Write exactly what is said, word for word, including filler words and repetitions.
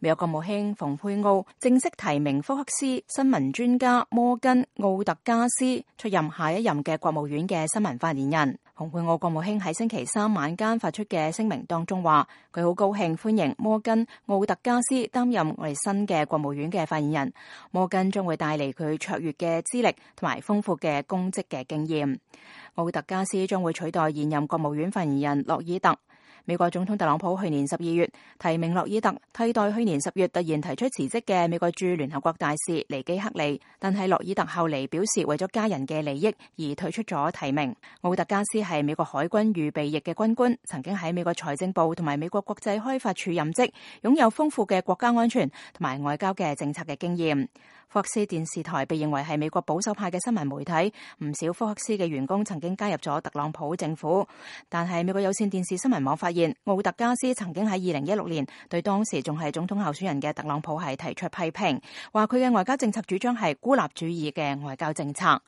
美國國務卿蓬佩奧正式提名福克斯新聞專家摩根奧特加斯出任下一任嘅國務院嘅新聞發言人。蓬佩奧國務卿喺星期三晚間發出嘅聲明當中話，佢好高興歡迎摩根奧特加斯擔任我哋新嘅國務院嘅發言人。摩根將會帶嚟佢卓越嘅資歷同埋豐富嘅公職嘅經驗。奧特加斯將會取代現任國務院發言人洛爾特。美國總統特朗普去年十二月提名洛爾特替代去年十月突然提出辭職嘅美國駐聯合國大使尼基克利，但係洛爾特後嚟表示為咗家人嘅利益而退出咗提名。奧特加斯係美國海軍預備役嘅軍官，曾經喺美國財政部同埋美國國際開發署任職，擁有豐富嘅國家安全同埋外交嘅政策嘅經驗。福克斯電視台被認為係美國保守派嘅新聞媒體，唔少福克斯嘅員工曾經加入咗特朗普政府。但係美國有線電視新聞網發現，奧特加斯曾經喺二零一六年對當時仲係總統候選人嘅特朗普係提出批評，話佢嘅外交政策主張係孤立主義嘅外交政策。